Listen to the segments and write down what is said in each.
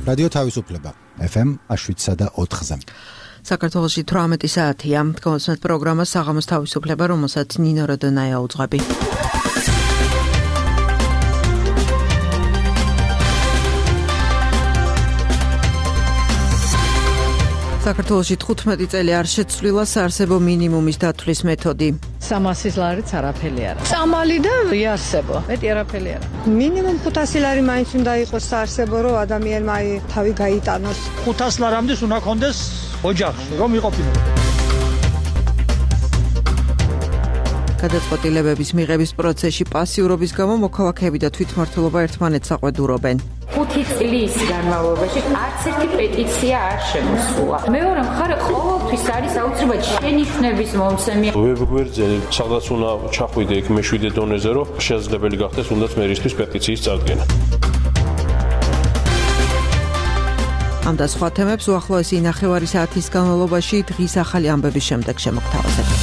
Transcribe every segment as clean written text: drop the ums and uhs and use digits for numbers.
რადიო თავისუფლება FM 7.4-ზე. საქართველოში 18 საათია. Თქვენს პროგრამას საღამოს თავისუფლება, რომელსაც ნინო როდონაია უძღვები. საქართველოში 15 წელი არ შეცვლილა საარსებო მინიმუმის დათვლის მეთოდი. 300 ლარიც არაფერი არა. სამალი და იარსებო. მეტი არაფერი არა. მინიმუმ 500 ლარი მაინც უნდა იყოს საარსებო, რომ ადამიანმა თავი გაიტანოს. 500 ლარამდე უნდა კონდეს ოჯახში, რომ იყოფილიყო. გადაწყვეტილებების მიღების პროცესში პასიურობის გამო მოქალაქეები და თვითმმართველობა ერთმანეთს აყვედურობენ. 5 წლის განმავლობაში არც ერთი პეტიცია არ შემოსულა. მეორე მხარე ყოველთვის არის აუცილებლად შენიშვნების მომცემი. ვებგვერდზე სადაც უნდა ჩახვიდე იქ მეშვიდე დონეზე, რომ შესაძლებელი გახდეს უნდაც მერისთვის პეტიციის წარდგენა. ამ და სხვა თემებს უახლოესი ნახევარი საათის განმავლობაში დღის ახალი ამბების შემდეგ შემოგთავაზებთ.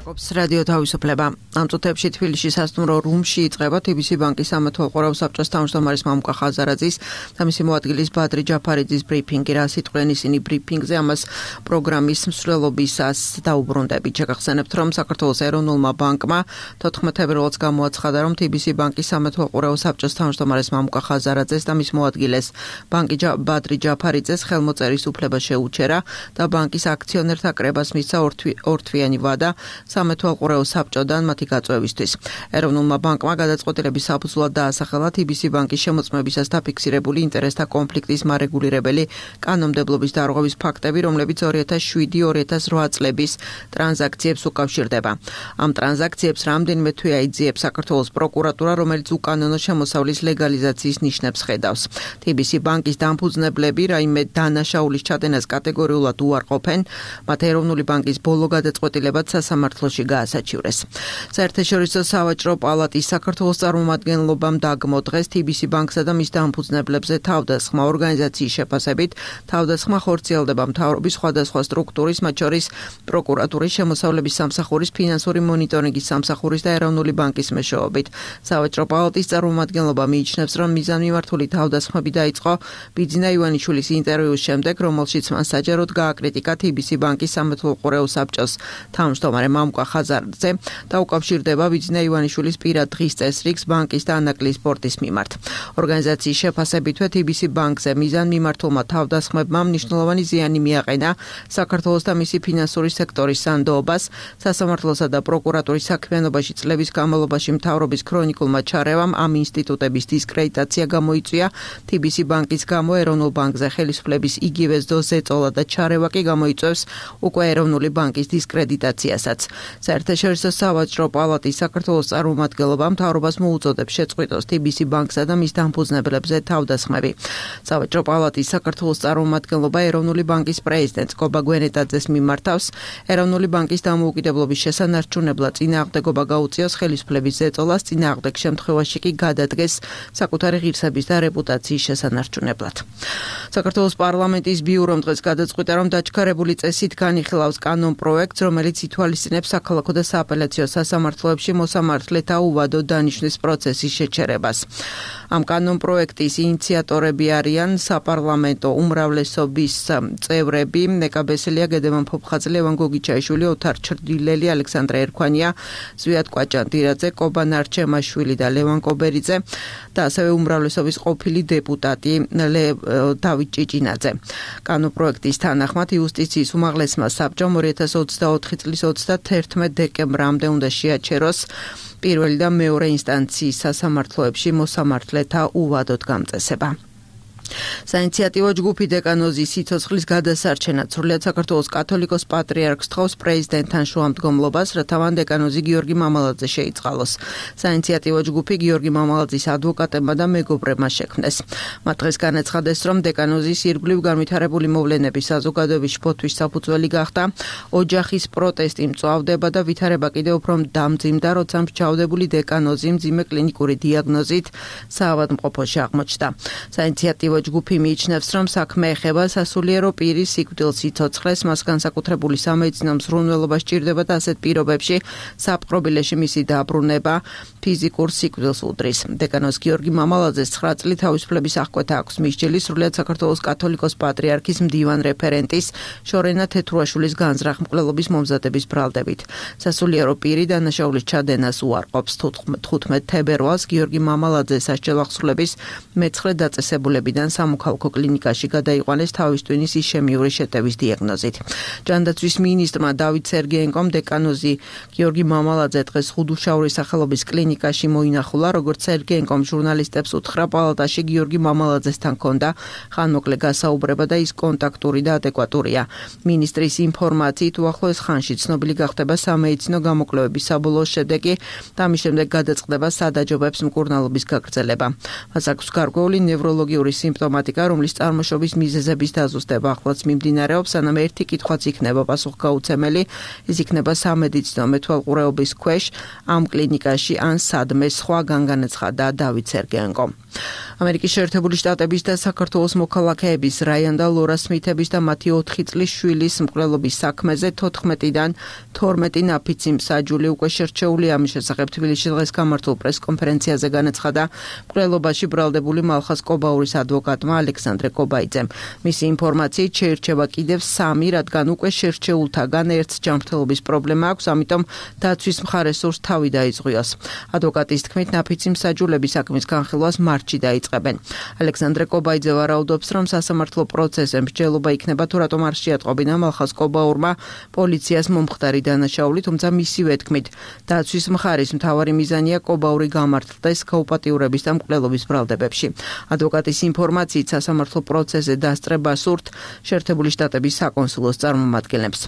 რადიო თავისუფლება. ამ წუთებში თბილისში სასტუმრო რუმში იწყება TBC ბანკის სამეთვალყურეო საბჭოს თავმჯდომარის მამუკა ხაზარაძის და მისი მოადგილის ბადრი ჯაფარიძის ბრიფინგი. რა სიტყვენ ისინი ბრიფინგზე, ამას პროგრამის მსვლელობისას დაუბრუნდებით. შეგახსენებთ, რომ საქართველოს ეროვნულმა ბანკმა 14 თებერვალს გამოაცხადა, რომ TBC ბანკის სამეთვალყურეო საბჭოს თავმჯდომარის მამუკა ხაზარაძეს და მის მოადგილეს ბადრი ჯაფარიძეს ხელმოწერის უფლება შეუჩერა და ბანკის აქციონერთა კრებას მისცა ორთვიანი ვადა სამეთვალყურეო საბჭოდან მათი გაწვევისთვის. ეროვნულმა ბანკმა გადაწყვეტილების საფუძვლად დაასახელა TBC ბანკის შემოწმებისას დაფიქსირებული ინტერესთა კონფლიქტის მარეგულირებელი კანონმდებლობის დარღვევის ფაქტები, რომლებიც 2007-2008 წლების ტრანზაქციებს უკავშირდება. ამ ტრანზაქციებს რამდენიმე თვე აიძიებს საქართველოს პროკურატურა, რომელიც უკანონო შემოსავლის ლეგალიზაციის ნიშნებს ხედავს. TBC ბანკის დამფუძნებლები რაიმე დანაშაულის ჩადენას კატეგორიულად უარყოფენ, მათ ეროვნული ბანკის ბოლო გადაწყვეტილებად სამართლოში გაასაჩივრეს. საერთაშორისო სავაჭრო პალატის საქართველოს წარმომადგენლობამ დაგმო დღეს TBC ბანკსა და მის დამფუძნებლებზე თავდასხმა. ორგანიზაციის შეფასებით თავდასხმა ხორციელდება მთავრობის სხვადასხვა სტრუქტურის, მათ შორის პროკურატურის, შემოსავლების სამსახურის, ფინანსური მონიტორინგის სამსახურის და ეროვნული ბანკის მეშვეობით. სავაჭრო პალატის წარმომადგენლობა მიიჩნევს, რომ მიზანმიმართული თავდასხმები დაიწყო ბიძინა ივანიშვილის ინტერვიუს შემდეგ, რომელშიც მან საჯაროდ გააკრიტიკა TBC ბანკის სამეთვალყურეო საბჭოს თავმჯდომარე მამუკა ხაზარაძე და უკავშირდება ბიძინა ივანიშვილის პირად დღის წესრიგს ბანკის და ანაკლის სპორტის მიმართ. ორგანიზაციის შეფასებითვე TBC ბანკზე მიზანმიმართულმა თავდასხმებმა მნიშვნელოვანი ზიანი მიაყენა საქართველოს და მისი ფინანსური სექტორის სანდოობას, სასამართლოსა და პროკურატურის საქმიანობაში წლების განმავლობაში მთავრობის ქრონიკულმა ჩარევამ ამ ინსტიტუტების დისკრედიტაცია გამოიწვია. TBC ბანკის გამო ეროვნულ ბანკზე ხელისუფლების იგივე ზეწოლა და ჩარევა კი გამოიწვევს უკვე ეროვნული ბანკის დისკრედიტაციასაც. საერთაშორისო სავაჭრო პალატის საქართველოს წარმომადგენლობა მთავრობას მოუწოდებს შეწყვიტოს TBC ბანკსა და მის დამფუძნებლებზე თავდასხმები. სავაჭრო პალატის საქართველოს წარმომადგენლობა ეროვნული ბანკის პრეზიდენტს გობა გვენეტაძეს მიმართავს. ეროვნული ბანკის დამოუკიდებლობის შესანარჩუნებლად წინააღმდეგობა გაუწიოს ხელისუფლების ზეწოლას, წინააღმდეგ შემთხვევაში კი გადადგეს საკუთარი ღირსების და რეპუტაციის შესანარჩუნებლად. საქართველოს პარლამენტის ბიურომ დღეს გადაწყვიტა, რომ დაჩქარებული წესით განიხილავს კანონპროექტს, რომელიც ითვალისწინებს საქალაქო და სააპელაციო სასამართლოებში მოსამართლეთა უვადო დანიშვნის პროცესის შეჩერებას. ამ კანონპროექტის ინიციატორები არიან საპარლამენტო უმრავლესობის წევრები ნეკა ბესელია, გედემან ფოფხაძე, ლევან გოგიჩაიშვილი, ოთარ ჩრდილელი, ალექსანდრე ერქვანია, ზვიად კვაჭანდირაძე, კობა ნარჩემაშვილი და ლევან კობერიძე და ასევე უმრავლესობის ყოფილი დეპუტატი დავით ჭიჭინაძე. კანონპროექტის თანახმად იუსტიციის უმაღლესმა საბჭომ 2024 წლის 31 დეკემბრამდე უნდა შეაჩეროს პირველი და მეორე ინსტანციის სასამართლოებში მოსამართლეთა უვადოდ გამწესება. საინიციატივო ჯგუფი დეკანოზის სიცოცხლის გადასარჩენად სრულიად საქართველოს კათოლიკოს პატრიარქს თხოვს პრეზიდენტთან შუამდგომლობას, რათა მან დეკანოზი გიორგი მამალაძე შეიწყალოს. საინიციატივო ჯგუფი გიორგი მამალაძის ადვოკატებმა და მეგობრებმა შექმნეს. მათ დღეს განაცხადეს, რომ დეკანოზის ირგვლივ განვითარებული მოვლენების საზოგადოების შფოთვის საფუძველი გახდა, ოჯახის პროტესტი მწვავდება და ვითარება კიდევ უფრო დამძიმდა, როცა მრჩავნებული დეკანოზი მძიმე კლინიკური დიაგნოზით საავადმყოფოში აღმოჩნდა. საინიციატივო სამართლებრივი ჯგუფი მიიჩნევს, რომ საქმე ეხება სასულიერო პირის სიკვდილს სიცოცხლეს, მას განსაკუთრებული სამედიცინო მსხვილნელობა სჭირდება და ასეთ პირობებში საპყრობილეში მისი დაბრუნება ფიზიკურ სიკვდილს უდრის. დეკანოზ გიორგი მამალაძეს 9 წლით თავისუფლების აღკვეთა აქვს მისჯილი სრულიად საქართველოს კათოლიკოს პატრიარქის მდივან რეფერენტის შორენა თეთრუაშვილის განზრახ მკვლელობის მომზადების ბრალდებით. სასულიერო პირი დანაშაულის ჩადენას უარყოფს. 15 თებერვალს გიორგი მამალაძე სასჯელ აღსრულების მეცხრე დაწესებულებიდან სამოქალაქო კლინიკაში გადაიყვანეს თავის ტვინის ისემიური შეტევის დიაგნოზით. ჯანდაცვის მინისტრმა დავით სერგეენკომ დეკანოზი გიორგი მამალაძე დღეს ხუდუშაურის სახელობის კლინიკაში მოინახულა, როგორც სერგეენკომ ჟურნალისტებს უთხრა, პალატაში გიორგი მამალაძესთან ჰქონდა ხანმოკლე გასაუბრება და ის კონტაქტური და ადეკვატურია. მინისტრის ინფორმაციით უახლოეს ხანში ცნობილი გახდება სამედიცინო გამოკვლევების საბოლოო შედეგი და ამის შემდეგ გადაწყდება სადაჯობებს მკურნალობის გაგრძელება. მას აქვს გარკვეული ნევროლოგიური სიმპტომატიკა, რომლის წარმოშობის მიზეზების დაზუსტება ახლაც მიმდინარეობს, სანამ ერთი კითხვაც იქნება პასუხგაუცემელი, ის იქნება სამედიცინო მეთვალყურეობის ქვეშ ამ კლინიკაში ან სადმე, სხვა განაცხადა დავით სერგეენკომ. ამერიკის შეერთებული შტატების და საქართველოს მოქალაქეების რაიან და ლორა სმითების და მათი 4 წლის შვილის მკვლელობის საქმეზე 14-დან 12 ნაფიცი მსაჯული უკვე შერჩეულია. ამის შესახებ თბილისში დღეს გამართულ პრესკონფერენციაზე განაცხადა მკვლელობაში ბრალდებული მალხაზ კობაურის ადვოკატმა ალექსანდრე კობაიძემ. მისი ინფორმაციით შეირჩევა კიდევ 3, რადგან უკვე შერჩეულთაგან ერთს ჯანმრთელობის პრობლემა აქვს, ამიტომ დაცვის მხარეს სურს თავი დაიწყვიოს. ადვოკატის თქმით, ნაფიცი მსაჯულები საქმის განხილვას მარტში დაიწყებენ. ალექსანდრე კობაიძე ვარაუდობს, რომ სასამართლო პროცესზე მსჯელობა იქნება თუ რატომ არ შეატყობინა მალხაზ კობაურმა პოლიციას მომხდარი დანაშაული, თუმცა მისივე თქმით, დაცვის მხარის მთავარი მიზანია კობაური გამართლდეს გაუპატიურების და მკვლელობის ბრალდებებში. ადვოკატის ინფორმაციით სასამართლო პროცესზე დასწრება სურთ შეერთებული შტატების საკონსულოს წარმომადგენლებს.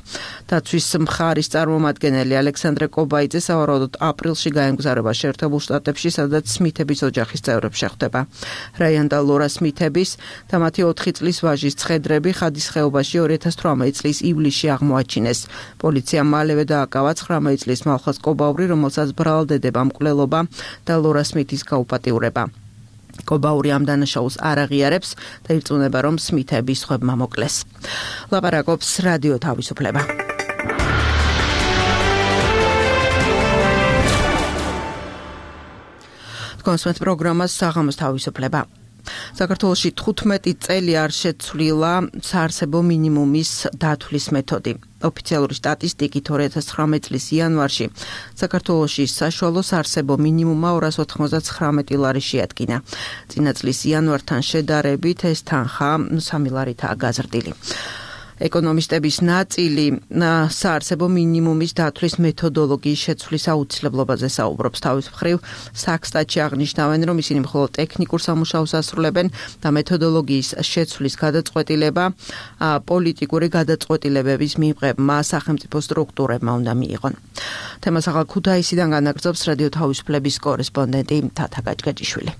დაცვის მხარის წარმომადგენელი ალექსანდრე კობაიძე სავარაუდოდ აპრილში გაემგზავრება შეერთებულ შტატებში, სადაც სმითების ოჯახის წევრებს შეხვდება. რაიან და ლორა სმითების და მათი 4 წლის ვაჟის ცხედრები ხადის ხეობაში 2018 წლის ივლისში აღმოაჩინეს. პოლიციამ მალევე დააკავა 19 წლის მალხაზ კობაური, რომელსაც ბრალდება მკვლელობა და ლორა სმითის გაუპატიურება. კობაური ამ დანაშაულს არ აღიარებს და ირწმუნება, რომ სმითები სხვებმა მოკლეს. ლაპარაკობს რადიო თავისუფლება. კონსვენთ პროგრამას საღამოს თავისუფლება. საქართველოში 15 წელი არ შეცვლილა საარსებო მინიმუმის დათვლის მეთოდი. ოფიციალური სტატისტიკით 2019 წლის იანვარში საქართველოში საშუალო საარსებო მინიმუმმა 299 ლარი შეადგინა. წინა წლის იანვართან შედარებით ეს თანხა 3 ლარითაა გაზრდილი. ეკონომისტების ნაწილი საარსებო მინიმუმის დათვლის მეთოდოლოგიის შეცვლის აუცილებლობაზე საუბრობს. თავის მხრივ საქსტატში აღნიშნავენ, რომ ისინი მხოლოდ ტექნიკურ სამუშაოს ასრულებენ და მეთოდოლოგიის შეცვლის გადაწყვეტილება პოლიტიკური გადაწყვეტილებების მიღებმა სახელმწიფო სტრუქტურებმა უნდა მიიღონ. თემას ახალ ქუთაისიდან განაგრძობს რადიო თავისუფლების კორესპონდენტი თათა გაჭგაჭიშვილი.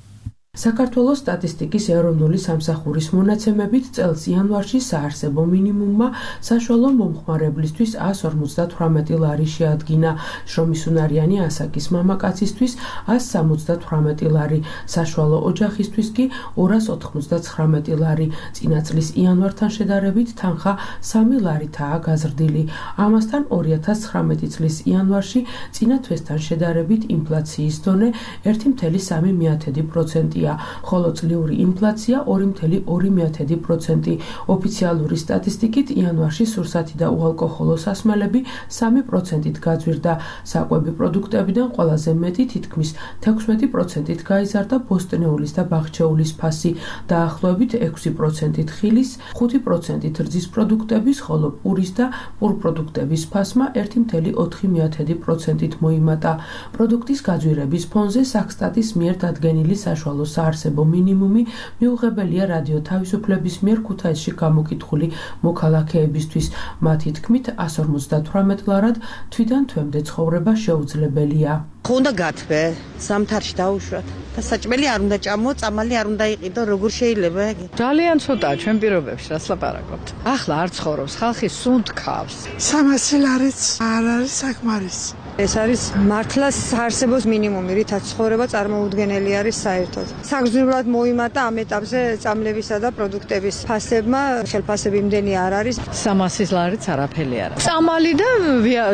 საქართველოს სტატისტიკის ეროვნული სამსახურის მონაცემებით წელს იანვარში საარსებო მინიმუმმა საშუალო მომხმარებლისთვის 158 ლარი შეადგინა, შრომისუნარიანი ასაკის მამაკაცისთვის 178 ლარი, საშუალო ოჯახისთვის კი 299 ლარი. წინა წლის იანვართან შედარებით თანხა 3 ლარითაა გაზრდილი. ამასთან 2019 წლის იანვარში წინა თვესთან შედარებით ინფლაციის დონე 1,3%. ხოლო წლიური ინფლაცია 2,2%. ოფიციალური სტატისტიკით იანვარში სურსათი და უალკოჰოლო სასმელები 3%-ით გაძვირდა. საკვები პროდუქტებიდან ყველაზე მეტი, თითქმის 16%-ით გაიზარდა ბოსტნეულის და ბაღჩეულის ფასი, დაახლოებით 6%-ით ხილის, 5%-ით რძის პროდუქტების, ხოლო პურის და პურპროდუქტების ფასმა 1,4%-ით მოიმატა. პროდუქტის გაძვირების ფონზე საქსტატის მიერ დადგენილი საშუალო საარსებო მინიმუმი მიუღებელია რადიო თავისუფლების მიერ ქუთაისში გამოკითხული მოქალაქეებისთვის. მათი თქმით 158 ლარად თვიდან თვემდე ცხოვრება შეუძლებელია. უნდა გათვე, სამთარში დაუშვათ და საჭმელი არ უნდა ჭამო, წამალი არ უნდა იყიდო, როგორ შეიძლება? ძალიან ცოტაა ჩვენ პირობებში, რას ლაპარაკობთ. ახლა არ ცხოვრობს ხალხი, სუნთ ქავს. 300 ლარიც არ არის საკმარისი. ეს არის მართლა საარსებოს მინიმუმი, რითაც ცხოვრება წარმოუდგენელი არის საერთოდ. საგრძნობლად მოიმატა ამ ეტაპზე წამლებისა და პროდუქტების ფასებმა, ხელფასები იმდენი არ არის. 300 ლარიც არაფერი არა. წამალი და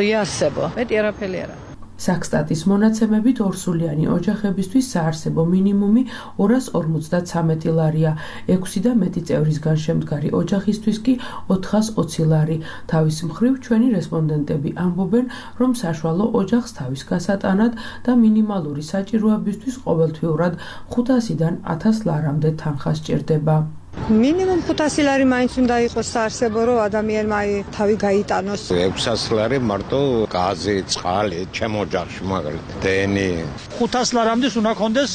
იარსებო, მეტი არაფერი არა. საქსტატის მონაცემებით ორსულიანი ოჯახებისთვის საარსებო მინიმუმი 253 ლარია, 6 და მეტი წევრისგან შემდგარი ოჯახისთვის კი 420 ლარი. თავის მხრივ ჩვენი რესპონდენტები ამბობენ, რომ საშუალო ოჯახს თავის გასატანად და მინიმალური საჭიროებისთვის ყოველთვიურად 500-დან 1000 ლარამდე თანხა სჭირდება. მინიმუმ 500 ლარი მაინც უნდა იყოს საარსებო, რომ ადამიანმა თავი გაიტანოს. 600 ლარი მარტო გაზი, წყალი, ჩემ ოჯახში მაგალითად დენი. 500 ლარამდე უნდა კონდეს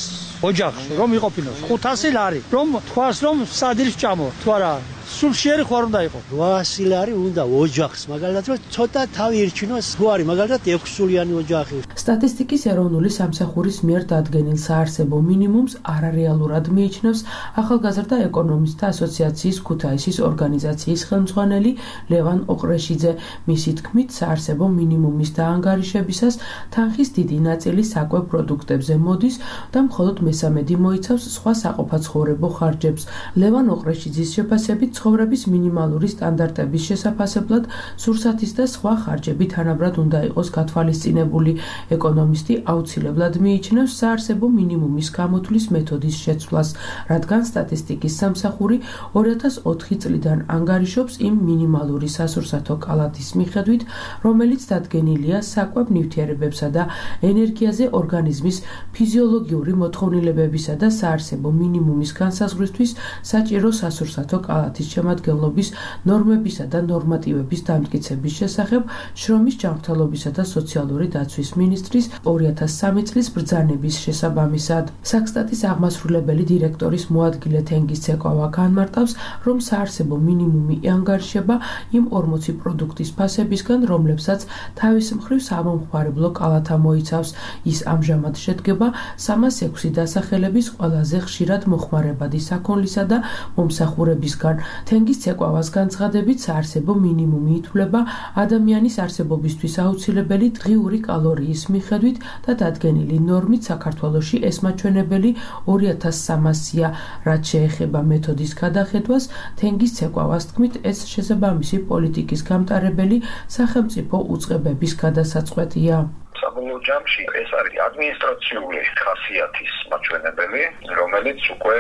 ოჯახში, რომ იყოფინოს. 500 ლარი, რომ თქვას რომ სადილს ჭამო, თუ არა სულშიერი ხوار უნდა იყო. 800 ლარი უნდა ოჯახს, მაგალითად რომ ცოტა თავი ირჩინოს, თუ არის მაგალითად 6 სულიანი ოჯახი. სტატისტიკის ეროვნული სამსახურის მიერ დადგენილ საარსებო მინიმუმს არარეალურად მიიჩნევს ახალგაზრდა ეკონომისტთა ასოციაციის ქუთაისის ორგანიზაციის ხელმძღვანელი ლევან ოყრეშიძე. მისი თქმით, საარსებო მინიმუმის დაანგარიშებისას თანხის დიდი ნაწილი საკვებ პროდუქტებზე მოდის და მხოლოდ მესამედი მოიცავს სხვა საყოფაცხოვრებო ხარჯებს. ლევან ოყრეშიძის შეფასებით ცხოვრების მინიმალური სტანდარტების შესაფასებლად სურსათის და სხვა ხარჯები თანაბრად უნდა იყოს გათვალისწინებული. ეკონომისტი აუცილებლად მიიჩნევს საარსებო მინიმუმის გამოთვლის მეთოდის შეცვლას, რადგან სტატისტიკის სამსახური 2004 წლიდან ანგარიშობს იმ მინიმალური სასურსათო კალათის მიხედვით, რომელიც დადგენილია საკვებ ნივთიერებებსა და ენერგიაზე ორგანიზმის ფიზიოლოგიური მოთხოვნილებებისა და საარსებო მინიმუმის განსაზღვრისთვის საჭირო სასურსათო კალათის შემადგენლობის ნორმებისა და ნორმატივების დამტკიცების შესახებ შრომის ჯანმრთელობისა და სოციალური დაცვის მინისტრის 2003 წლის ბრძანების შესაბამისად. საქსტატის აღმასრულებელი დირექტორის მოადგილე თენგიზ ცეკვა განმარტავს, რომ საარსებო მინიმუმი ანგარიშება იმ 40 პროდუქტის ფასებისგან, რომლებსაც თავის მხრივ სამომხმარებლო კალათა მოიცავს. ის ამჟამად შედგება 306 დასახელების ყველაზე ხშირად მოხმარებადი საქონლისა და მომსახურებისგან. თენგიზ ცეკვავას განცხადებით, საარსებო მინიმუმი ითვლება ადამიანის არსებობისთვის აუცილებელი დღიური კალორიის მიხედვით და დადგენილი ნორმით საქართველოში ეს მაჩვენებელი 2300-ია. რაც შეეხება მეთოდის გადახედვას, თენგიზ ცეკვავას თქმით, ეს შესაბამისი პოლიტიკის გამტარებელი სახელმწიფო უწყებების გადასაწყვეტია. საბოლოო ჯამში ეს არის ადმინისტრაციული ხასიათის მაჩვენებელი, რომელიც უკვე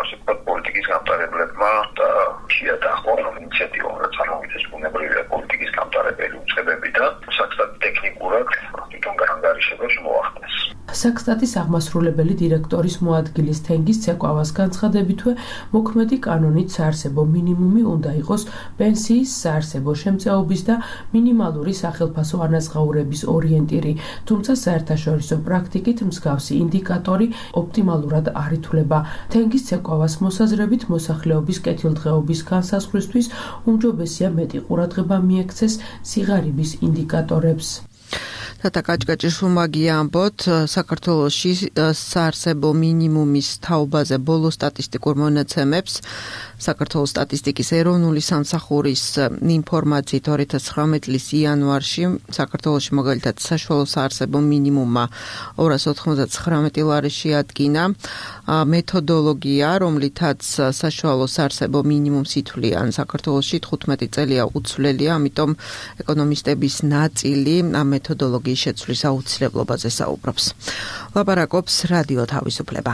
ასე ვთქვათ პოლიტიკის გამტარებლებმა და შეადახო ინიციატივა, რაც ამოვიდეს ბუნებრივია პოლიტიკის გამტარებელი უწყებები და საქსტატი ტექნიკურად თვითონ განგარიშებას მოახდენს. საქსტატის აღმასრულებელი დირექტორის მოადგილის თენგიზ ცეკვავას განცხადებითვე, მოქმედი კანონით საარსებო მინიმუმი უნდა იყოს პენსიის, საარსებო შემწეობის და მინიმალური სახელფასო ანაზღაურების ორიენტირი, თუმცა საერთაშორისო პრაქტიკით მსგავსი ინდიკატორი ოპტიმალურად არ ითვლება. თენგიზ ცეკვავას მოსაზრებით, მოსახლეობის კეთილდღეობის განსაზღვრისთვის უმჯობესია მეტი ყურადღება მიექცეს სიღარიბის ინდიკატორებს. თათა კაჭკაჭიშვილმა ამბობთ, საქართველოში საარსებო მინიმუმის თაობაზე ბოლო სტატისტიკურ მონაცემებს საქართველოს სტატისტიკის ეროვნული სამსახურის ინფორმაციით 2019 წლის იანვარში საქართველოში მაგალითად საშუალო საარსებო მინიმუმმა 299 ლარი შეადგინა. მეთოდოლოგია, რომლითაც საშუალო საარსებო მინიმუმს ითვლიან საქართველოში 15 წელია უცვლელია, ამიტომ ეკონომისტების ნაწილი ამ მეთოდოლოგიის შეცვლის აუცილებლობაზე საუბრობს. ლაპარაკობს რადიო თავისუფლება.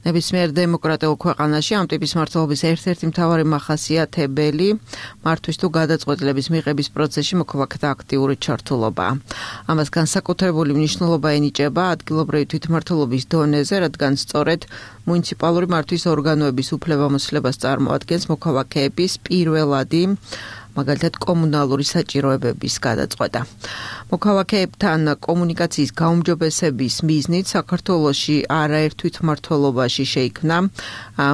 ნებისმიერ დემოკრატიულ ქვეყანაში ამ ტიპის მმართველობის ერთ-ერთი მთავარი მახასიათებელი მართვის თუ გადაწყვეტილების მიღების პროცესში მოქალაქეთა აქტიური ჩართულობაა. ამას განსაკუთრებული მნიშვნელობა ენიჭება ადგილობრივი თვითმმართველობის დონეზე, რადგან სწორედ მუნიციპალური მართვის ორგანოების უფლებამოსილებას წარმოადგენს მოქალაქეების პირველადი მაგალითად კომუნალური საჭიროებების გადაწყვეტა. მოქალაქეებთან კომუნიკაციის გაუმჯობესების მიზნით საქართველოში არაერთ თვითმმართველობაში შეიქმნა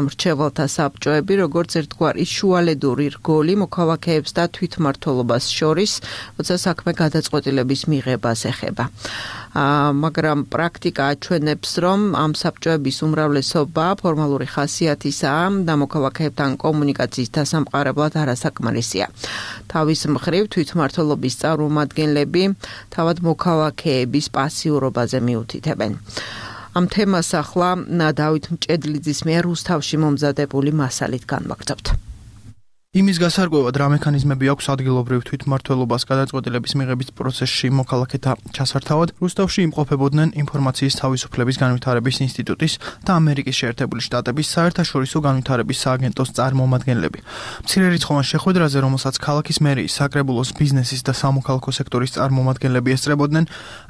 მრჩეველთა საბჭოები, როგორც ერთგვარი შუალედური რგოლი მოქალაქეებს და თვითმმართველობას შორის, როცა საქმე გადაწყვეტილების მიღებას ეხება. მაგრამ პრაქტიკა აჩვენებს, რომ ამ საბჭოების უმრავლესობა ფორმალური ხასიათისაა და მოქალაქეებთან კომუნიკაციის დასამყარებლად არასაკმარისია. თავის მხრივ თვითმმართველობის წარმომადგენლები თავად მოქალაქეების პასიურობაზე მიუთითებენ. ამ თემას ახლა დავით მჭედლიძის მიერ რუსთავში მომზადებული მასალით განვაგრძობთ. იმის გასარკვევად რა მექანიზმები აქვს ადგილობრივ თვითმმართველობას გადაწყვეტილების მიღების პროცესში მოქალაქეთა ჩასართავად, რუსთავში იმყოფებოდნენ ინფორმაციის თავისუფლების განვითარების ინსტიტუტის და ამერიკის შეერთებული შტატების საერთაშორისო განვითარების სააგენტოს წარმომადგენლები. მცირერიცხოვან შეხვედრაზე, რომელსაც ქალაქის მერიის, საკრებულოს ბიზნესის და სამოქალაქო სექტორის წარმომადგენლები ესწრებოდნენ,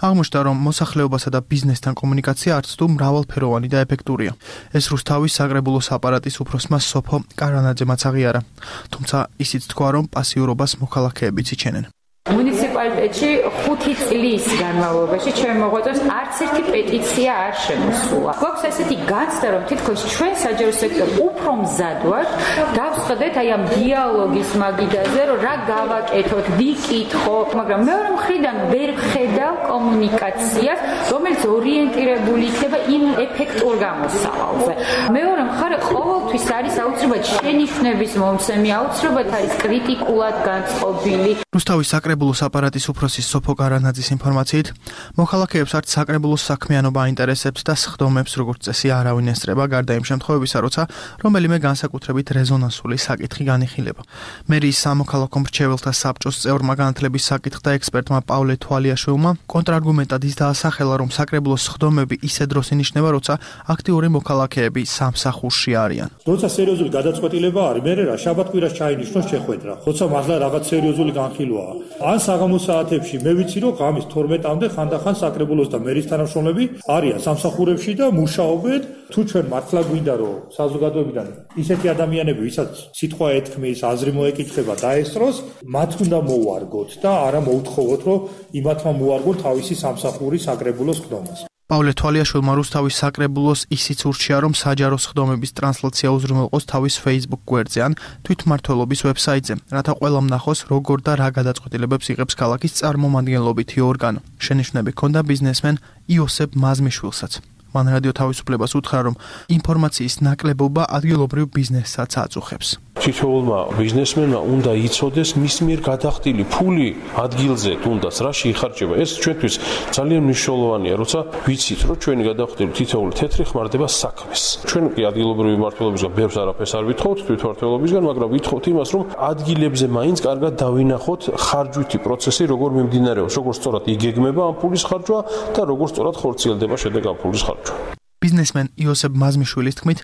აღმოჩნდა, რომ მოსახლეობასა და ბიზნესთან კომუნიკაცია არც თუ მრავალფეროვანი და ეფექტურია. ეს რუსთავის საკრებულოს აპარატის უფროსმა სოფო კარანაძემაც აღიარა. თუმცა ისიც თქვა, რომ პასიურობას მოქალაქეებიც იჩენენ. მუნიციპალიტეტში 5 წლის განმავლობაში ჩემ მოღვაწეებს არც ერთი პეტიცია არ შემოსულა. გვაქვს ესეთი განცდა, რომ თითქოს ჩვენ საჯარო სექტორი უფრო მზად ვართ, დავსხდეთ აი ამ დიალოგის მაგიდაზე, რომ რა გავაკეთოთ, ვიკითხო, მაგრამ მეორე მხრიდან ვერ ვხედავ კომუნიკაციას, რომელიც ორიენტირებული იქნება იმ ეფექტურ გამოსავალზე. მეორე მხარე ყოველთვის არის აუცილებლად შენიშვნების მომცემი, აუცილებლად არის კრიტიკულად განწყობილი. რუსთავის საკრებულოს აპარატის უფროსის სოფო კარანაძის ინფორმაციით, მოქალაქეებს არც საკრებულოს საქმიანობა აინტერესებს და სხდომებს როგორც წესი არავინ ესწრება, გარდა იმ შემთხვევებისა, როცა რომელიმე განსაკუთრებით რეზონანსული საკითხი განიხილება. მერიის სამოქალაქო მრჩეველთა საბჭოს წევრმა განათლების საკითხთა ექსპერტმა პავლე თვალიაშვილმა კონტრარგუმენტად ის დაასახელა, რომ საკრებულოს სხდომები ისე დროს ინიშნება, როცა აქტიური მოქალაქეები სამსახურში არიან. როცა სერიოზული გადაწყვეტილება არის, მე რა შაბათ-კვირას ჩაინიშნოს შეხვედრა. როცა მართლა რაღაც სერიოზული განხილვაა. ან საღამოს საათებში მე ვიცი, რომ ღამის 12-მდე ხანდახან საკრებულოს და მერის თანამშრომლები არიან სამსახურებში და მუშაობენ. თუ ჩვენ მართლა გვინდა, რომ საზოგადოებიდან ისეთი ადამიანები, ვისაც სიტყვა ეთქმის, აზრი მოეკითხება დაესწროს, მათ უნდა მოვარგოთ და არა მოუთხოვოთ, რომ იმათმა მოარგონ თავისი სამსახური საკრებულოს ხდომას. პავლე თვალიაშვილმა რუსთავის საკრებულოს ისიც ურჩია, რომ საჯარო სხდომების ტრანსლაცია უზრუნველყოს თავის Facebook გვერდზე ან თვითმმართველობის ვებსაიტზე, რათა ყველამ ნახოს, როგორ და რა გადაწყვეტილებებს იღებს ქალაქის წარმომადგენლობითი ორგანო. შენიშვნები ჰქონდა ბიზნესმენ იოსებ მაზმიშვილსაც. მან რადიო თავისუფლებას უთხრა, რომ ინფორმაციის ნაკლებობა ადგილობრივ ბიზნესსაც აწუხებს. თითოეულმა ბიზნესმენმა უნდა იცოდეს მის მიერ გადახდილი ფული ადგილზე თუნდაც რაში იხარჯება. ეს ჩვენთვის ძალიან მნიშვნელოვანია, როცა ვიცით, რომ ჩვენი გადახდილი თითოეული თეთრი ხმარდება საქმეს. ჩვენ კი ადგილობრივი მმართველობისგან ბევრს არაფერს არ ვითხოვთ თვითმმართველობისგან, მაგრამ ვითხოვთ იმას, რომ ადგილებზე მაინც კარგად დავინახოთ ხარჯვითი პროცესი, როგორ მიმდინარეობს, როგორ სწორად იგეგმება ამ ფულის ხარჯვა და როგორ სწორად ხორციელდება შედეგ ამ ფულის ხარჯვა. ბიზნესმენ იოსებ მაზმიშვილის თქმით,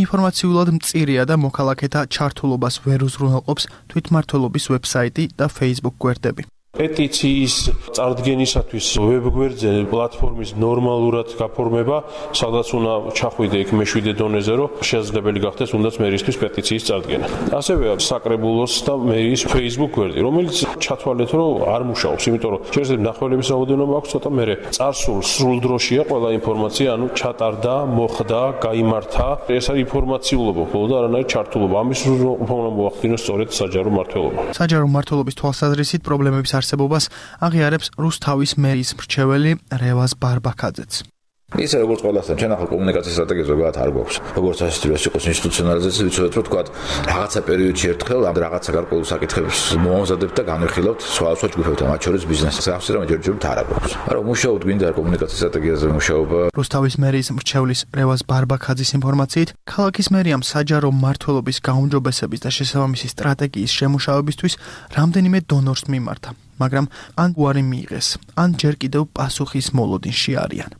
ინფორმაციულად მწირია და მოქალაქეთა ჩართულობას ვერ უზრუნველყოფს თვითმმართველობის ვებსაიტი და Facebook გვერდები. პეტიციის წარდგენისათვის ვებგვერდზე პლატფორმის ნორმალურად გაფორმება, სადაც უნდა ჩახვიდე იქ მეშვიდე დონეზე, რომ შესაძლებელი გახდეს თუნდაც მერისთვის პეტიციის წარდგენა. ასევე საკრებულოს და მერიის Facebook გვერდი, რომელიც ჩათვალეთ, რომ არ მუშაობს, იმიტომ რომ შეიძლება მნახველების რაოდენობა აქვს ცოტა, მერე წარსულ სრულ დროშია ყველა ინფორმაცია, ანუ ჩატარდა, მოხდა, გაიმართა, ეს არის ინფორმაციულობა, ხოლო და არანაირი ჩართულობა. ამის უნდა მოახდინოს სწორედ საჯარო მმართველობა. საჯარო მმართველობის თვალსაზრისით პრობლემების არსებობას აღიარებს რუსთავის მერიის მრჩეველი რევაზ ბარბაქაძეც. ისე როგორც ყველასთან, ჩვენ ახლა კომუნიკაციის სტრატეგია ზოგადად არ გვაქვს. როგორც ასეთივე იყოს ინსტიტუციონალიზაცია, ვიცოდეთ, რომ თქვა რაღაცა პერიოდში ერთხელ ამ რაღაცა გარკვეულ საკითხებს მომზადებთ და განვიხილავთ სხვა ჯგუფებთან, მათ შორის ბიზნესს. ახსენე რომ ჯერჯერობით არ გვაქვს. მაგრამ მუშაობთ გვინდა კომუნიკაციის სტრატეგიაზე მუშაობა. რუსთავის მერიის მრჩევლის რევაზ ბარბაქაძის ინფორმაციით, ქალაქის მერიამ საჯარო მმართველობის გაუმჯობესების და შესაბამისი სტრატეგიის შემუშავებისთვის რამდენიმე დონორს მიმართა, მაგრამ ან უარი მიიღეს, ან ჯერ კიდევ პასუხის მოლოდინში არიან.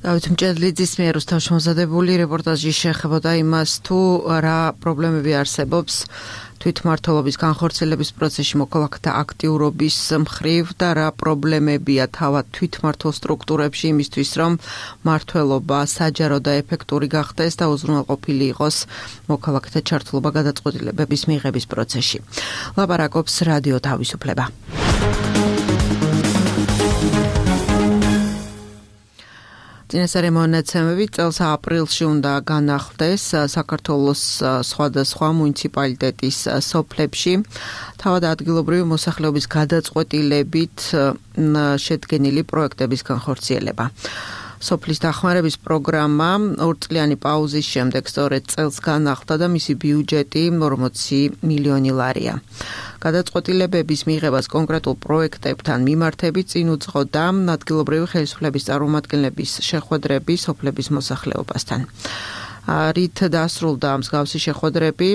დავით მჭედლიძის მიერ რუსთავში მომზადებული რეპორტაჟი შეეხებოდა იმას, თუ რა პრობლემები არსებობს თვითმმართველობის განხორციელების პროცესში მოქალაქეთა აქტიურობის მხრივ და რა პრობლემებია თავად თვითმმართველ სტრუქტურებში იმისთვის, რომ მმართველობა საჯარო და ეფექტური გახდეს და უზრუნველყოფილი იყოს მოქალაქეთა ჩართულობა გადაწყვეტილებების მიღების პროცესში. ლაპარაკობს რადიო თავისუფლება. წინასწარი მონაცემები წელს აპრილში უნდა განახლდეს საქართველოს სხვადასხვა მუნიციპალიტეტის სოფლებში თავად ადგილობრივი მოსახლეობის გადაწყვეტილებით შედგენილი პროექტების განხორციელება. სოფლის დახმარების პროგრამა 2 წლიანი პაუზის შემდეგ სწორედ წელს განახლდა და მისი ბიუჯეტი 40 მილიონი ლარია. გადაწყვეტილებების მიღებას კონკრეტულ პროექტებთან მიმართებით წინ უძღოდა ადგილობრივი ხელისუფლების წარმომადგენლების შეხვედრები სოფლების მოსახლეობასთან. რით დასრულდა მსგავსი შეხვედრები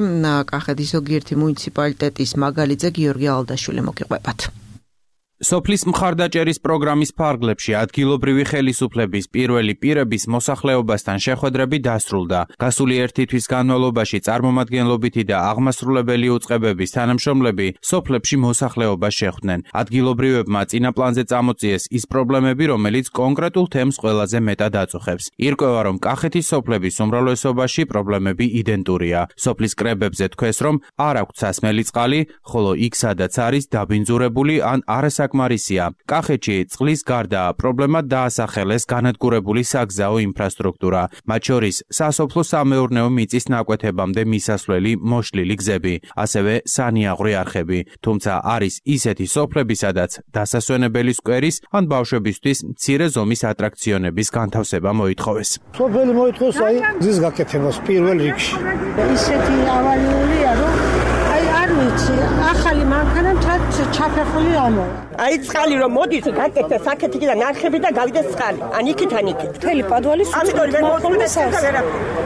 კახეთის ზოგიერთი მუნიციპალიტეტის მაგალითზე გიორგი ალდაშვილი მოგიყვებათ. სოფლის მხარდაჭერის პროგრამის ფარგლებში ადგილობრივი ხელისუფლების პირველი პირების მოსახლეობასთან შეხვედრები დასრულდა. გასული ერთი თვის განმავლობაში წარმომადგენლობითი და აღმასრულებელი უწყებების თანამშრომლები სოფლებში მოსახლეობას შეხვდნენ. ადგილობრივებმა წინა პლანზე წამოწიეს ის პრობლემები, რომელიც კონკრეტულ თემს ყველაზე მეტად აწუხებს. ირკვევა, რომ კახეთის სოფლების უმრავლესობაში პრობლემები იდენტურია. სოფლის კრებებზე თქვეს, რომ არ აქვთ სასმელი წყალი, ხოლო იქ სადაც არის დაბინძურებული ან არასაკმარისია. კახეთში წყლის გარდა პრობლემად დაასახელეს განადგურებული საგზაო ინფრასტრუქტურა, მათ შორის სასოფლო-სამეურნეო მიწის ნაკვეთებამდე მისასვლელი მოშლილი გზები, ასევე სანიაღვრე არხები. თუმცა არის ისეთი სოფლები, სადაც დასასვენებელი სკვერის ან ბავშვებისთვის მცირე ზომის ატრაქციონების განთავსება მოითხოვეს. სოფელი მოითხოვს აი გზის გაკეთებას პირველ რიგში. ისეთი ავალიულია, რომ არ ვიცი, ახალი მანქანამ ჩაფეხული ამოვა. აი წყალი რომ მოდის, გაკეთდეს აქეთიდან არხები და გავიდეს წყალი. ან იქით ან იქით. მთელი პადვალი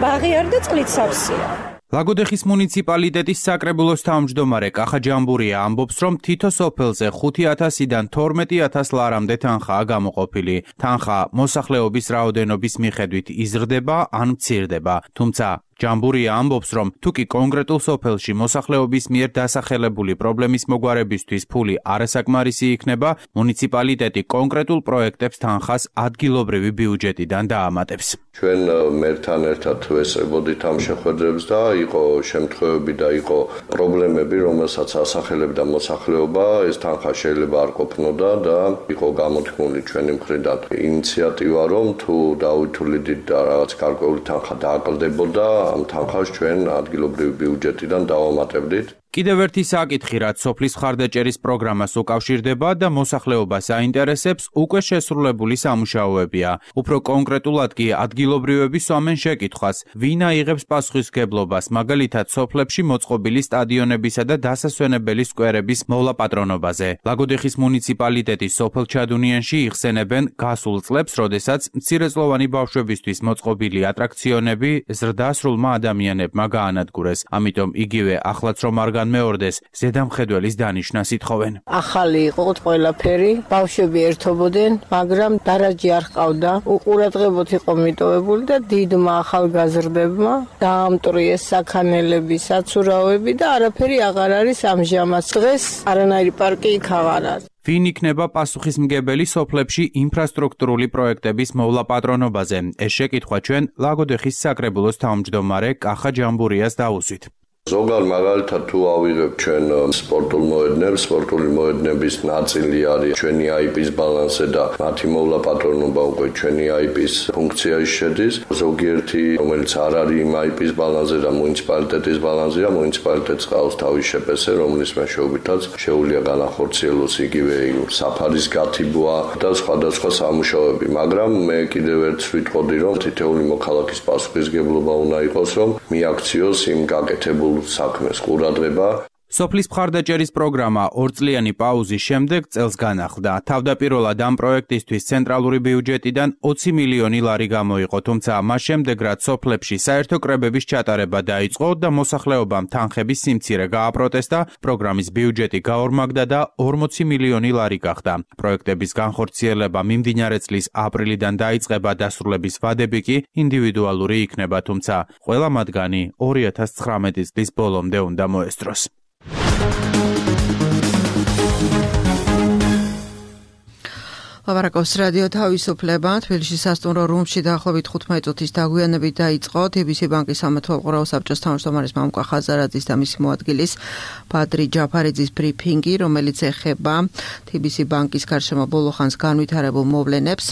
ბაღი არ და წყლით სავსეა. ლაგოდეხის მუნიციპალიტეტის საკრებულოს თავმჯდომარე კახა ჯამბურია ამბობს, რომ თითო სოფელზე 5,000-დან 12,000 ლარამდე თანხაა გამოყოფილი. თანხა მოსახლეობის რაოდენობის მიხედვით იზრდება ან მცირდება. თუმცა ჯამბურია ამბობს, რომ თუკი კონკრეტულ სოფელში მოსახლეობის მიერ დასახელებული პრობლემის მოგვარებისთვის ფული არასაკმარისი იქნება, მუნიციპალიტეტი კონკრეტულ პროექტებს თანხას ადგილობრივი ბიუჯეტიდან დაამატებს. ჩვენ მერთან ერთად ვესწრებოდით ამ შეხვედრებს და იყო შემთხვევები და იყო პრობლემები, რომელსაც ასახელებდა მოსახლეობა, ეს თანხა შეიძლება არ ყოფნოდა და იყო გამოთქმული ჩვენი მხრიდან ინიციატივა, რომ თუ დავითვლიდით და რაღაც გარკვეული თანხა დააკლდებოდა, ამ თანხას ჩვენ ადგილობრივი ბიუჯეტიდან დავამატებდით. კიდევ ერთი საკითხი, რაც სოფლის მხარდაჭერის პროგრამას უკავშირდება და მოსახლეობას აინტერესებს, უკვე შესრულებული სამუშაოებია. უფრო კონკრეტულად კი ადგილობრივები სვამენ შეკითხვას, ვინ აიღებს პასუხისმგებლობას, მაგალითად სოფლებში მოწყობილი სტადიონებისა და დასასვენებელი სკვერების მოვლაპატრონობაზე. ლაგოდეხის მუნიციპალიტეტის სოფელ ჩადუნიანში იხსენებენ გასულ წლებს, როდესაც მცირეწლოვანი ბავშვებისთვის მოწყობილი ატრაქციონები ზრდასრულმა ადამიანებმა გაანადგურეს. ამიტომ იგივე ახლაც რომ არ განმეორდეს, ზედამხედველის დანიშნას ითხოვენ. ახალი იყო ყველაფერი, ბავშვები ერთობოდნენ, მაგრამ დარაჯი არ ჰყავდა. უყურადღებოდ იყო მიტოვებული და დიდმა ახალგაზრდებმა დაამტვრიეს საქანელები, საცურაოები და არაფერი აღარ არის ამჟამად. დღეს არანაირი პარკი იქ აღარ არის. ვინ იქნება პასუხისმგებელი სოფლებში ინფრასტრუქტურული პროექტების მოვლაპატრონობაზე? ეს შეკითხვა ჩვენ ლაგოდეხის საკრებულოს თავმჯდომარე კახა ჯამბურიას დაუსვით. ზოგადად მაგალითად თუ ავიღებ ჩვენ სპორტულ მოედნებს, სპორტული მოედნების ნაწილი არის ჩვენი IP-ის ბალანსზე და მათი მოვლაპატრონობა უკვე ჩვენი IP-ის ფუნქციაში შედის. ზოგიერთი, რომელიც არ არის იმ IP-ის ბალანსზე და მუნიციპალიტეტის ბალანსზეა, მუნიციპალიტეტს ყავს თავის შეპს, რომლის მეშვეობითაც შეუძლია განახორციელოს იგივე საფარის გათიბვა და სხვადასხვა სამუშაოები. მაგრამ მე კიდევ ერთხ ვიტყოდი, რომ თითოეული მოქალაქის პასუხისმგებლობა უნდა იყოს, რომ მიაქციოს იმ გაკეთებულ საქმეს ყურადღება. სოფლის მხარდაჭერის პროგრამა 2 წლიანი პაუზის შემდეგ წელს განახლდა. თავდაპირველად ამ პროექტისთვის ცენტრალური ბიუჯეტიდან 20 მილიონი ლარი გამოიყო, თუმცა მას შემდეგ რაც სოფლებში საერთო კრებების ჩატარება დაიწყო და მოსახლეობამ თანხების სიმცირე გააპროტესტა, პროგრამის ბიუჯეტი გაორმაგდა და 40 მილიონი ლარი გახდა. პროექტების განხორციელება მიმდინარე წლის აპრილიდან დაიწყება, დასრულების ვადები კი ინდივიდუალური იქნება, თუმცა ყველა მათგანი 2019 წლის ბოლომდე უნდა მოესწროს. ლაპარაკობს რადიო თავისუფლება. თბილისში სასტუმრო რუმში დაახლოებით 15 წუთის დაგვიანებით დაიწყო TBC ბანკის სამეთვალყურაო საბჭოს თავმჯდომარის მამუკა ხაზარაძის და მისი მოადგილის ბადრი ჯაფარიძის ბრიფინგი, რომელიც ეხება TBC ბანკის გარშემო ბოლო ხანს განვითარებულ მოვლენებს.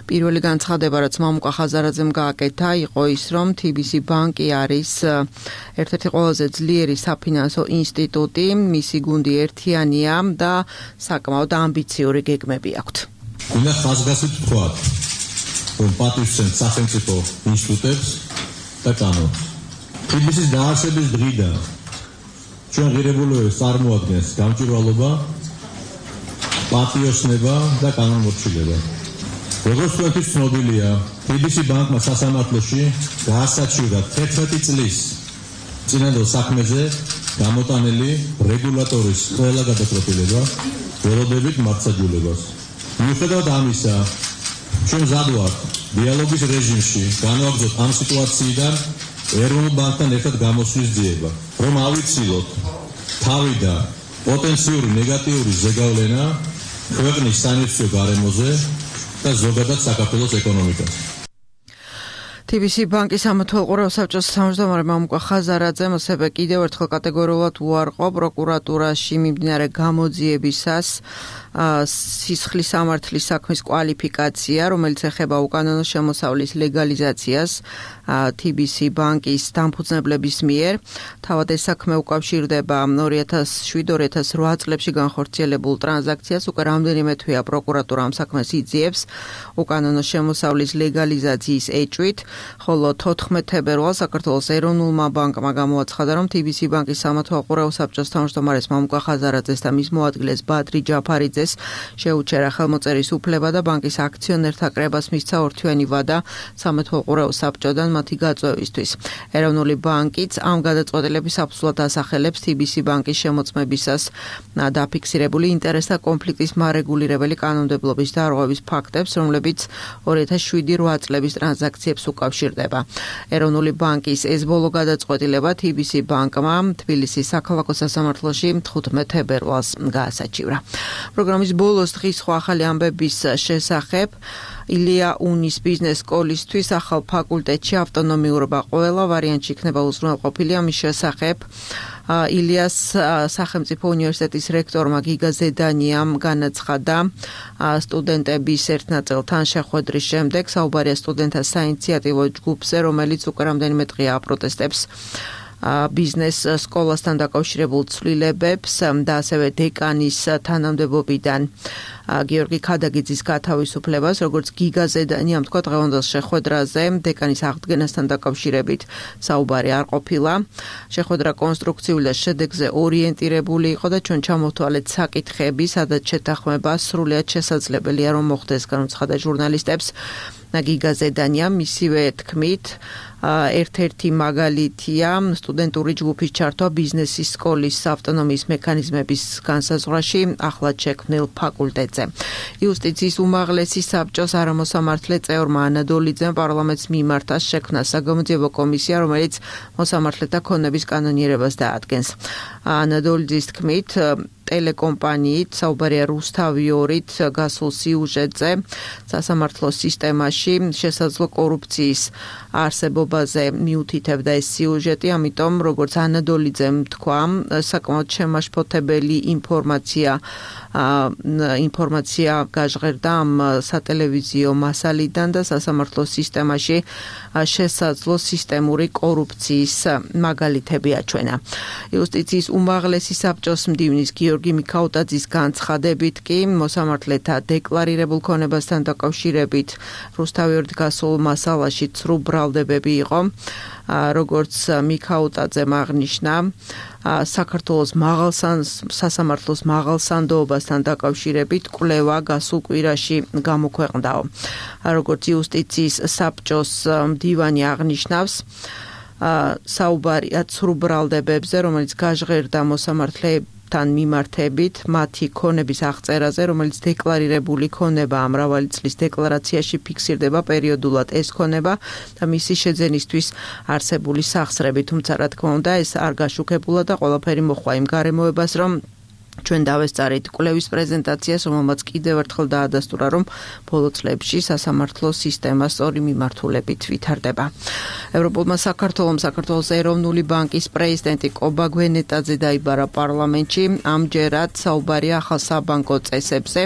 პირველი განცხადება, რაც მამუკა ხაზარაძემ გააკეთა, იყო ის, რომ TBC ბანკი არის ერთ-ერთი ყველაზე ძლიერი საფინანსო ინსტიტუტი, მისი გუნდი ერთიანია და საკმაოდ ამბიციური გეგმები აქვთ. უნდა ხაზგასით ვთქვათ, რომ პატივსცემთ სახელმწიფო ინსტიტუტებს და კანონს. TBC-ის დაარსების დღიდან ჩვენ ღირებულებებს წარმოადგენს გამჭვირვალობა, პატიოსნება და კანონმორჩილება. როგორც თქვენთვის ცნობილია, TBC ბანკმა სასამართლოში გაასაჩივრა 11 წლის წინანდელ საქმეზე გამოტანილი რეგულატორის ყველა გადაწყვეტილება, ველოდებით მართლმსაჯულებას. მიუხედავად ამისა, ჩვენ მზად ვართ დიალოგის რეჟიმში განვაგრძოთ ამ სიტუაციიდან ეროვნულ ბანკთან ერთად გამოსვლის ძიება, რომ ავიცილოთ თავიდან პოტენციური ნეგატიური ზეგავლენა ქვეყნის სანეციო გარემოზე და ზოგადად საქართველოს ეკონომიკაზე. TBC ბანკის სამეთვალყურაო საბჭოს თავმჯდომარე მამუკა ხაზარაძემ ასევე კიდევ ერთხელ კატეგორიულად უარყო პროკურატურაში მიმდინარე გამოძიებისას სისხლის სამართლის საქმის კვალიფიკაცია, რომელიც ეხება უკანონო შემოსავლის ლეგალიზაციას TBC ბანკის დამფუძნებლების მიერ. თავად ეს საქმე უკავშირდება 2007-2008 წლებში განხორციელებულ ტრანზაქციას. უკვე რამდენიმე თვეა პროკურატურა ამ საქმეს იძიებს უკანონო შემოსავლის ლეგალიზაციის ეჭვით, ხოლო 14 თებერვალს საქართველოს ეროვნულმა ბანკმა გამოაცხადა, რომ TBC ბანკის სამეთვალყურაო საბჭოს თავმჯდომარეს მამუკა ხაზარაძეს და მის მოადგილეს ბადრი ჯაფარიძეს შეუჩერა ხელმოწერის უფლება და ბანკის აქციონერთა კრებას მისცა ორთვიანი ვადა სამეთვალყურაო საბჭოდან მათი გაწვევისთვის. ეროვნული ბანკიც ამ გადაწყვეტილების აბსოლუტურად ასახელებს TBC ბანკის შემოწმებისას დაფიქსირებული ინტერესთა კონფლიქტის მარეგულირებელი კანონმდებლობის დარღვევის ფაქტებს, რომლებიც 2007-8 წლების ტრანზაქციებს უკავშირდება. ეროვნული ბანკის ეს ბოლო გადაწყვეტილება TBC ბანკმა თბილისის საქალაქო სასამართლოში 15 თებერვალს გაასაჩივრა. პროგრამის ბოლოს დღის სხვა ახალი ამბების შესახებ ილია უნის ბიზნეს სკოლისთვის ახალ ფაკულტეტში ავტონომიურობა ყველა ვარიანტში იქნება უზრუნველყოფილი. ამის შესახებ ილიას სახელმწიფო უნივერსიტეტის რექტორმა გიგა ზედანიამ განაცხადა სტუდენტების ერთ ნაწილთან შეხვედრის შემდეგ. საუბარია სტუდენტთა საინიციატივო ჯგუფზე, რომელიც უკვე რამდენიმე დღეა აპროტესტებს ბიზნეს სკოლასთან დაკავშირებულ ცვლილებებს და ასევე დეკანის თანამდებობიდან გიორგი ქადაგიძის გათავისუფლებას, როგორც გიგა ზედანიამ თქვა დღევანდელ შეხვედრაზე, დეკანის აღდგენასთან დაკავშირებით საუბარი არ ყოფილა. შეხვედრა კონსტრუქციული და შედეგზე ორიენტირებული იყო და ჩვენ ჩამოვთვალეთ საკითხები, სადაც შეთანხმება სრულიად შესაძლებელია რომ მოხდეს, განუცხადა ჟურნალისტებს. გიგა ზედანიამ მისივე თქმით, ერთ-ერთი მაგალითია სტუდენტური ჯგუფის ჩართვა ბიზნესის სკოლის ავტონომიის მექანიზმების განსაზღვრაში ახლად შექმნილ ფაკულტეტზე. იუსტიციის უმაღლესი საბჭოს არამოსამართლე წევრმა ანადოლიძემ პარლამენტს მიმართა შექმნა საგამოძიებო კომისია, რომელიც მოსამართლეთა ქონების კანონიერებას დაადგენს. ანადოლიძის თქმით, ტელეკომპანიით, საუბარია რუსთავიორით გასულ სიუჟეტზე სასამართლო სისტემაში შესაძლო კორუფციის არსებობაზე მიუთითებდა ეს სიუჟეტი, ამიტომ როგორც ანადოლიძემ თქვა, საკმაოდ შემაშფოთებელი ინფორმაცია გაჟღერდა ამ სატელევიზიო მასალიდან და სასამართლო სისტემაში შესაძლო სისტემური კორუფციის მაგალითები აჩვენა. იუსტიციის უმაღლესი საბჭოს მდივნის გიორგი მიქაუტაძის განცხადებით კი მოსამართლეთა დეკლარირებულ ქონებასთან დაკავშირებით რუსთავიორით გასულ მასალაში ცრუ ბრალდებები იყო. როგორც მიქაუტაძემ აღნიშნა, საქართველოს სასამართლოს მაღალსანდოობასთან დაკავშირებით კვლევა გასულ კვირაში გამოქვეყნდაო. როგორც იუსტიციის საბჭოს მდივანი აღნიშნავს, საუბარია ცრუ ბრალდებებზე, რომელიც გაჟღერდა მოსამართლეებს თან მიმართებით მათი ქონების აღწერაზე, რომელიც დეკლარირებული ქონება მრავალი წლის დეკლარაციაში ფიქსირდება პერიოდულად ეს ქონება და მისი შეძენისთვის არსებული სახსრები, თუმცა რა თქმა უნდა ეს არ გაშუქებულა და ყველაფერი მოხდა იმ გარემოებას, რომ ჩვენ დავესწარით კვლევის პრეზენტაციას, რომელმაც კიდევ ერთხელ დაადასტურა, რომ ბოლო წლებში სასამართლო სისტემა სწორი მიმართულებით ვითარდება. ევროპულმა საქართველოს ეროვნული ბანკის პრეზიდენტი კობა გვენეტაძე დაიბარა პარლამენტში. ამჯერად საუბარია ახალ საბანკო წესებზე,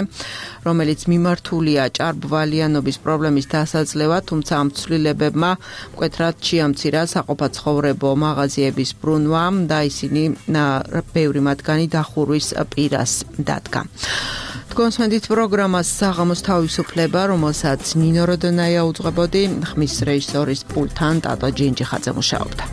რომელიც მიმართულია ჭარბვალიანობის პრობლემის დასაძლევად, თუმცა ამ ცვლილებებმა მკვეთრად შეამცირა საყოფაცხოვრებო მაღაზიების ბრუნვა და ისინი ბევრი მათგანი დახურვის პირას დადგა. თქვენს პროგრამას საღამოს თავისუფლება, რომელსაც ნინო როდონაია უძღვებოდი, ხმის რეჟისორის პულტთან ტატო ჯინჯიხაძე მუშაობდა.